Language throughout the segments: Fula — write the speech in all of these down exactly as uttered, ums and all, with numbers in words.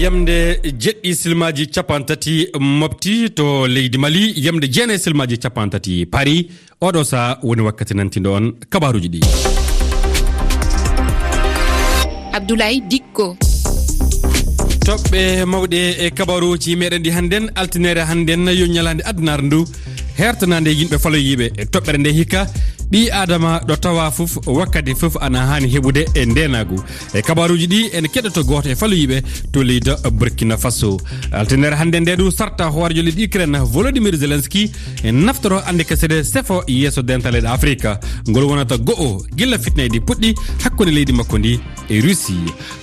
Yamde jeɗɗi silmaaji cappanɗe tati mofti to leydi Mali, yamde jeenayi silmaaji cappanɗe tati paari. Oɗo saha woni wakkati nantindo on kabaruuji ɗi. Abdoulaye Dikko. Toɓɓe mawɗe e kabaruuji meɗen ɗi hannden, altinere hannden, yo ñalaande addunaare ndu, hertanaande yimɓe faloyiiɓe. E toɓɓere nde hikka, ɓii Aadama ɗo tawa fof, wakkati fof ana haani heɓude e ndeenaagu. E kabaruuji ɗi, en keɗoto gooto e faloyiiɓe to leydi Burkina Faso. Altinere hannde nde du sarta hooreejo leydi Ukraine Volodymyr Zelensky e naftoro annde kesede sefo yeeso dental leyɗe Afrika. Ngol wonata go'o gila fitnaydi puɗɗi hakkunde leydi makko ndi e Russie.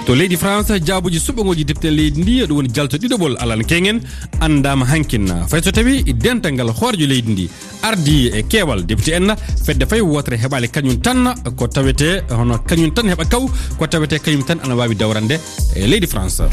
To leydi France, jaabuji suɓangooji depte leydi ndi, ɗum woni jalto ɗiɗoɓol Alan Kengen, anndaama hankin. Fay so tawi dental ngal hooreejo leydi ndi ardi e keewal député en, fedde fay wootere heɓaali kañum tan ko tawete, hono kañum tan heɓa kaw, ko tawete kañum tan ana waawi dawrande e leydi France.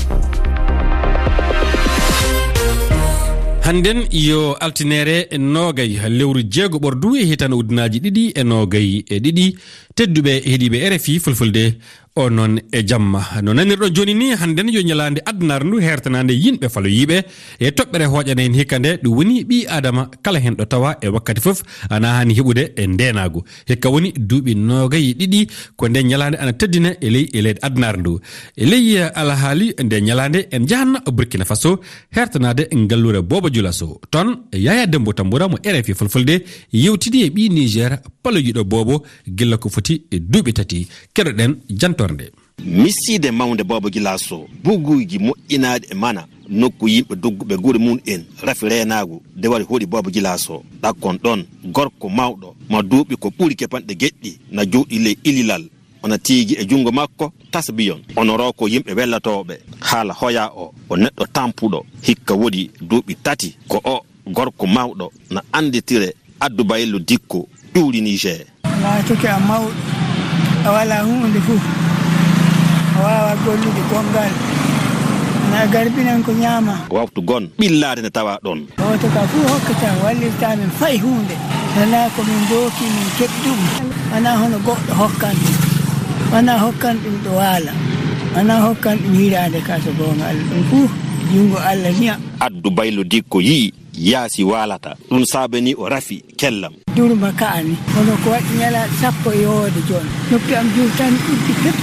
Hannden yo altinere noogay lewru jeego ɓordu e hitande ujunaaji ɗiɗi e noogay e ɗiɗi. Tedduɓe heɗiiɓe R F I Fulfulde, o noon e jamma. No nanirɗon jooni ni, hannden yo ñalaande addunaare ndu hertanaande yimɓe faloyiiɓe e toɓɓere hooƴande en hikka nde, ɗum woni ɓii Aadama kala heen ɗo tawa e wakkati fof ana haani heɓude e ndeenaagu. Hikka woni duuɓi noogay e ɗiɗi ko nde ñalaande ana teddina e ley, e leydi addunaare ndu. E ley alhaali nde ñalaande en njahanno Burkina Faso hertanaade ngalluure Boobo Julaso. Toon Yaya Dembo Tambura mo R F I Fulfulde yewtidi e ɓii Niger paloyiiɗo Boobo gila ko foti e duuɓi tati. Keɗoɗen jantoore nde. Misiide mawnde Boobo Julaso, buguuji moƴƴinaaɗi e mana, nokku yimɓe dogguɓe gure mum en, rafi reenaagu, de wari hoɗi Boobo Julaso. Ɗakkon ɗon, gorko mawɗo, mo duuɓi ko ɓuri capanɗe jeɗɗi, na jooɗi ley ililal, ona tiigi e junngo makko tasbiyon, ono roko yimɓe wellatooɓe. Haala hoya o, o neɗɗo tampuɗo, hikka wodi duuɓi tati, ko o gorko mawɗo, na annditire Addu Baylo Dikko, ƴuuri Niger. Laatoke a mawɗo, a walaa huunde fuu, a waawaa gollude gonngal, na a garbinan ko ñaama. Waftu gon, ɓillaade nde tawa ɗon. Gooto ka fuu hokkata, wallirta min fay huunde. Wanaa ko min mbooki, min keɓi ɗum. Wanaa hono goɗɗo hokkan ɗum. Wanaa hokkan ɗum ɗo waala. Wanaa hokkan ɗum hiraande ka so goonga Allah. Ɗum fuu junngo Allah niya. Addu Baylo Dikko yi'i yaasi waalata. Ɗum saabani o rafi kellam. Durma ka'ani. Kono ko waɗi ñalaaɗe sappo e yowoode jooni. Noppi am juutani uddi pep.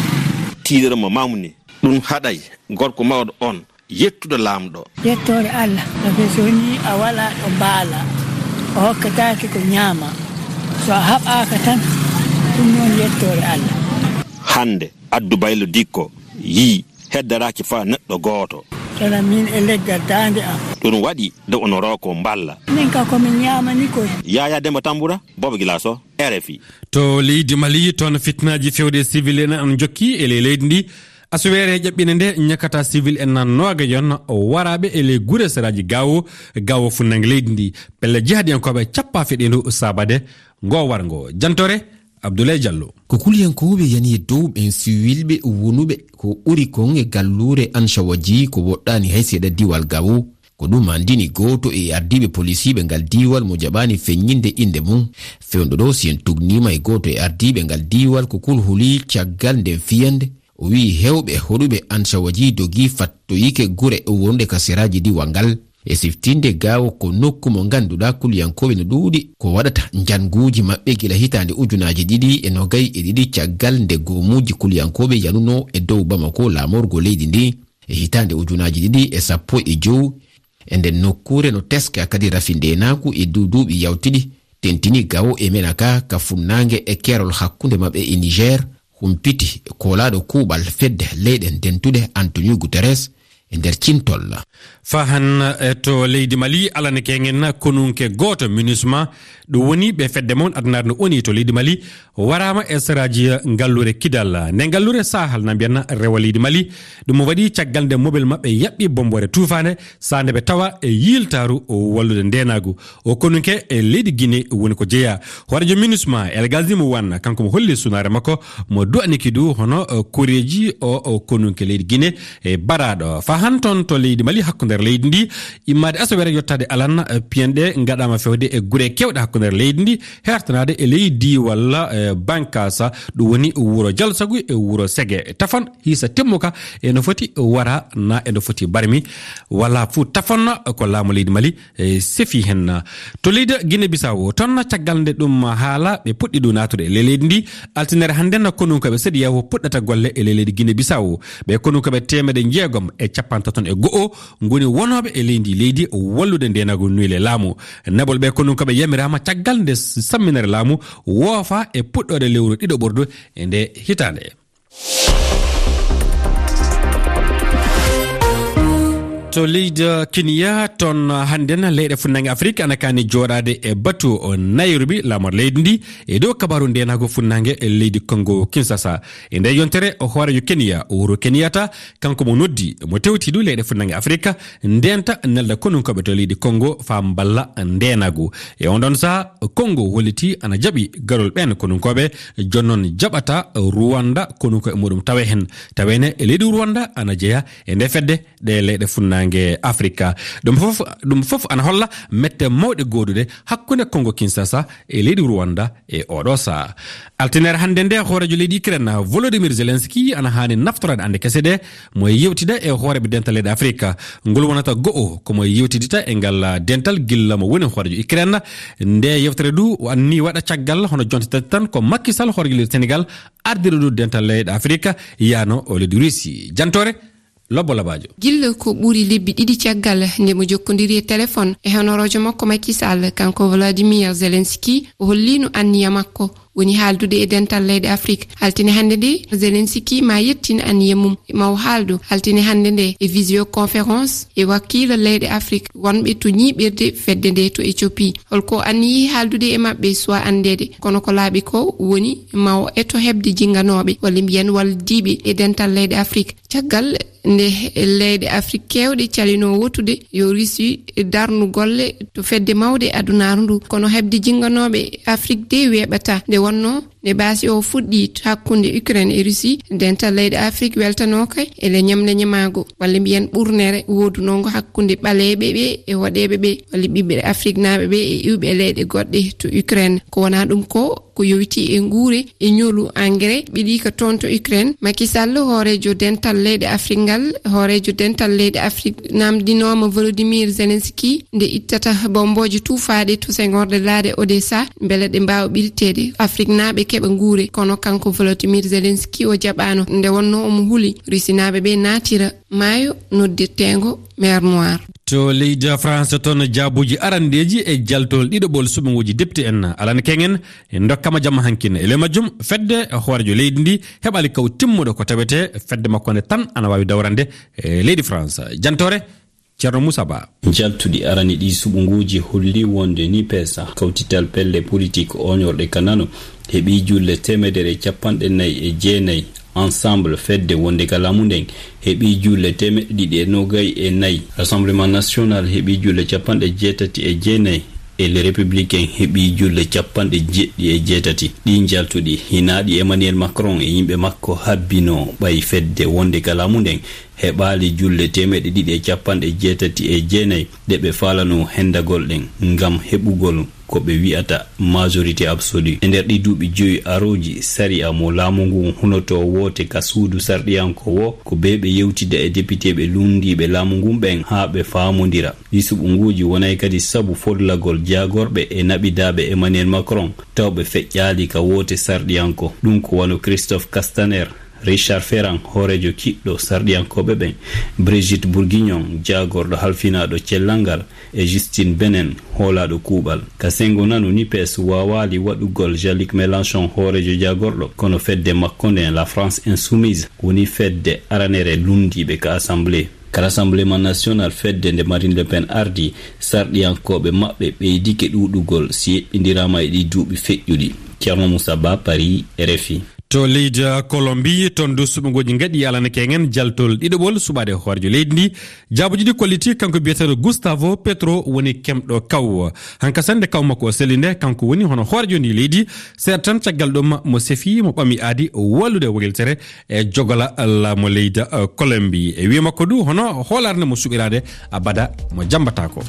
Tiiɗere mo mawni. Ɗum haɗay gorko mawɗo on yettude Laamɗo. Yettoore Allah, sabe so wonii a walaa ɗo mbaala, o hokkataake ko ñaama. So a haɓaaka tan, ɗum noon yettoore Allah. Hannde, Addu Baylo Dikko yii heddaraaki faa neɗɗo gooto. Kono min e leggal daande am. Ɗum waɗi de ono roko mballa. Min ka ko min ñaamani koy. Yaya Demba Tambura, Boobo Julaso, R F I. To leydi Mali, toon fitnaaji fewde civil en an jokki e ley leydi ndi. Asuweere ƴaɓɓinde nde ñakata civil en nan noogayon waraaɓe e ley gure seraaji Gaawo, Gaawo funnangue leydi ndi. Pelle jihadiyankooɓe cappa feɗeendu saabade ngo warngo. Jantore, Abdoulaye Diallo. Ko kuliyankooɓe yani e dow ɓen siwilɓe wonuɓe ko ɓuri kon e galluure Ancawaji ko woɗɗaani hay seeɗa diwal Gaawo. Ko ɗum anndini gooto e ardiiɓe polisiiɓe ngal diiwal mo jaɓaani feññinde innde mum. Fewndo ɗo, si en tugniima e gooto e ardiiɓe ngal diiwal, ko kulhuli caggal nden fiyannde. O wi'i heewɓe hoɗuɓe Ancawaji dogii fattoyike gure wonde ka seraaji diiwal ngal. E siftinde Gaawo ko nokku mo ngannduɗaa kuliyankooɓe no ɗuuɗi ko waɗata njannguuji maɓɓe gila hitaande ujunaaji ɗiɗi e noogay e ɗiɗi caggal nde goomuuji kuliyankooɓe yanunoo e dow Bamako laamorgo leydi ndi. E hitaande ujunaaji ɗiɗi e sappo e jow, e nden nokkuure no teska kadi rafi ndeenaagu e du-, duuɓi yawtiɗi, tentini Gaawo e Menaka ka funnaange e keerol hakkunde maɓɓe e Niger, humpiti koolaaɗo kuuɓal fedde leyɗe dentuɗe Antonio Guterres e nder cintol. Fahan, eh, to leydi Mali, alane kengen konunke gooto MINUSMA, ɗum woni ɓe fedde mon addunaare no woni to leydi Mali, waraama e saraaji ngalluure Kidal. Nde ngalluure Sahel na mbiyanna rewa leydi Mali, ɗum waɗi caggal nde mobel maɓɓe yaɓɓi bomboore tuufaande, saande ɓe tawa e yiiltaaru wallude ndeenaagu. O konunke e leydi Guinée woni ko jeyaa. Hooreejo MINUSMA, El Gazim Wan, kanko mo holli sunaare makko, mo du'aniki du hono, eh, koreeji o, o konunke leydi Guinée e baraaɗo. Fahan toon to leydi Mali hakkunde leydi ndi, immaade asaweere yottaade alan, eh, piyanɗe ngaɗaama fewde e gure keewɗe hakkunde leydi ndi, hertanaade e leydi walla, eh, Bankasa, ɗum woni wuro Jalsagu e wuro Sege. Tafon hiisa timmuka e no foti wara na e no foti barmi, wala fuu tafon ko laamu leydi Mali, eh, sefi hen. To leydi Guinée Bissau, toon caggal nde ɗum haala, ɓe puɗɗi ɗum naatude e ley leydi ndi. Altinere hannde na konunkooɓe sedi yawo puɗɗata golle e ley leydi Guinée Bissau. Ɓe konunkooɓe teemedde jeegom e capantato e go'o ngoni wonooɓe e leydi, leydi wallude ndeenagu nuylee laamu. Naɓol ɓe konunkooɓe yamiraama caggal nde samminere laamu woofa e puɗɗoode lewru ɗiɗo ɓordu e nde hitaande. To leydi Kenya, toon hannde na leyɗe funnange Afirika ana kaani jooɗaade e batu o Nairobi, laamor leydi ndi, e dow kabaaru ndeenagu funnange e leydi Kongo Kinshasa. E nde yontere, o hooreejo Kenya, Uhuru Kenyatta, kanko mo noddi, mo tewti du leyɗe funnange Afirika, ndenta nelda konunkooɓe to leydi Kongo faa mballa ndeenagu. E on ɗon saha, Kongo holliti ana jaɓi garol ɓeen konunkooɓe, jooni noon jaɓata Rwanda konunko e muɗum tawe heen. Tawene e leydi Rwanda ana jeya e nde fedde ɗe leyɗe funnaange Afrika. Ɗum fof, ɗum fof ana holla mette mawɗe gooduɗe hakkunde Kongo Kinshasa e leydi Rwanda e oɗo saha. Altinere hannde nde, hooreejo leydi Ukraine, Volodymyr Zelensky, ana haani naftoraade annde kese ɗe, mo e yewtida e hooreeɓe dental leyɗe Afrika. Ngol wonata go'o ko mo e yewtidita e ngal dental gilla mo woni hooreejo Ukraine. Nde yewtere du o anni waɗa caggal hono jonte tati tan ko Macky Sall, hooreejo leydi Senegal, ardiri du dental leyɗe Afrika, yano o leydi Russie. Jantore Lobbo Labaajo. Gilla ko ɓuri lebbi ɗiɗi caggal nde mo jokkondiri e téléphone e honoroojo makko Macky Sall, kanko Volodymyr Zelensky, o holliino anniya makko woni haaldude e dental leyɗe Afrik. Altine hannde nde, Zelensky ma yettin anniya mum, ma o haaldu altine hannde nde e visioconférence e wakiila leyɗe Afrik wonɓe to ñiiɓirde fedde nde to Éthiopie. Holko anniyi haaldude e maɓɓe suwa anndeede, kono ko laaɓi ko woni ma o eto heɓde jinnganooɓe, walla mbiyen waldiiɓe e dental leyɗe Afrik. Caggal nde leyɗe Afrik keewɗe calinoo wotude yo Russie darnu golle to fedde mawde adunaaru ndu, kono heɓde jinnganooɓe Afrik de weeɓata. Nde wonnoo nde baasi o fuɗɗi hakkunde Ukraine e Russie, dental leyɗe Afrik weltanooka e le ñamleñamaago, walla mbiyen ɓurnere woodunoogo hakkunde ɓaleeɓe ɓe e woɗeeɓe ɓe, walla ɓiɓɓe Afriknaaɓe ɓe e iwɓe leyɗe goɗɗe to Ukraine. Ko wonaa ɗum ko ko yowiti e nguure e ñolu engrais ɓiɗi ka toon to Ukraine. Macky Sall, hooreejo dental leyɗe Afrik ngal, hooreejo dental leyɗe Afrik namdinooma Volodymyr Zelensky nde ittata bombooje tuufaaɗe to sengorɗe laaɗe Odessa, mbele ɗe mbaawa ɓirteede, Afriknaaɓe keɓa nguure. Kono kanko Volodymyr Zelensky o jaɓaano, nde wonnoo omo huli Rusinaaɓe ɓe naatira maayo noddirteengo Mer Noir. To leydi France toon, jaabuuji arandeeji e jaltol ɗiɗaɓol suɓngooji depte en alan kengen e ndokkama jamma hankin. E ley majjum, fedde hooreejo leydi ndi heɓaali kaw timmuɗo ko tawete fedde makko nde tan ana waawi dawrande e leydi France. Jantore, Ceerno Moussa Ba. Jaltuɗi arani ɗi suɓngooji holli wonde NUPES, kawtital pelle politik ooñorɗe ka nano, heɓi julle teemedere e capanɗe nayi e jeenayi. Ensemble, fedde wonde ka laamu nden, heɓi julle teemeɗɗe ɗiɗi e nogay e nayi. Rassemblement National heɓi julle capanɗe jeetati e jeenayi. E Les Républicains heɓi julle capanɗe jeɗɗi e jeetati. Ɗi jaltuɗi, hinaaɗi Emmanuel Macron e yimɓe makko habbino, ɓay fedde wonde ka laamu nden heɓaali julle teemeɗɗe ɗiɗi e capanɗe jeetati e jeenayi ɗe ɓe faalano hendagol ɗen ngam heɓugol ko ɓe wi'ata majorité absolue. E nder ɗi duuɓi joyi arooji, sariya mo laamu ngun hunoto woote ka suudu sarɗiyanko wo, ko bee ɓe yewtida e depiteeɓe lunndiiɓe laamu ngun ɓen haa ɓe faamondira. Ɗi suɓngooji wonay kadi sabu follagol jaagorɓe e naɓidaaɓe Emmanuel Macron, taw ɓe feƴƴaali ka woote sarɗiyanko. Ɗum ko wano Christophe Castaner, Richard Ferrand, hooreejo kiɗɗo sarɗiyankooɓe ɓen, Brigitte Bourguignon, jaagorɗo halfinaaɗo cellal ngal, e Justine Benin, hoolaaɗo kuuɓal. Ka senngo nano, NUPES waawaali waɗugol Jean-Luc Mélenchon hooreejo jaagorɗo, kono fedde makko nden, La France Insoumise, woni fedde aranere lunndiiɓe ka Assemblée. Ka Rassemblement National, fedde nde Marine Le Pen ardii, sarɗiyankooɓe maɓɓe ɓeydike ɗuuɗugol si yeɓɓindiraama e ɗii duuɓi feƴƴuɗi. Ceerno Moussa Ba, Paris, R F I. To leydi Kolombi, toon du suɓngooji ngaɗi alanake en jaltol ɗiɗoɓol suɓaade hoorejo leydi ndi. Jaabuji ɗi kolliti kanko biyeteeɗo Gustavo Petro woni kemɗo kaw. Hanka sannde kaw makko o selli nde, kanko woni hono hoorejo ndi leydi. Seeɗa tan caggal ɗum mo sefi, mo ɓami aadi wallude wayltere e jogola laamu leydi, eh, Kolombi. E wiye makko du hono hoolaare nde mo suɓiraade abada mo jammbataako.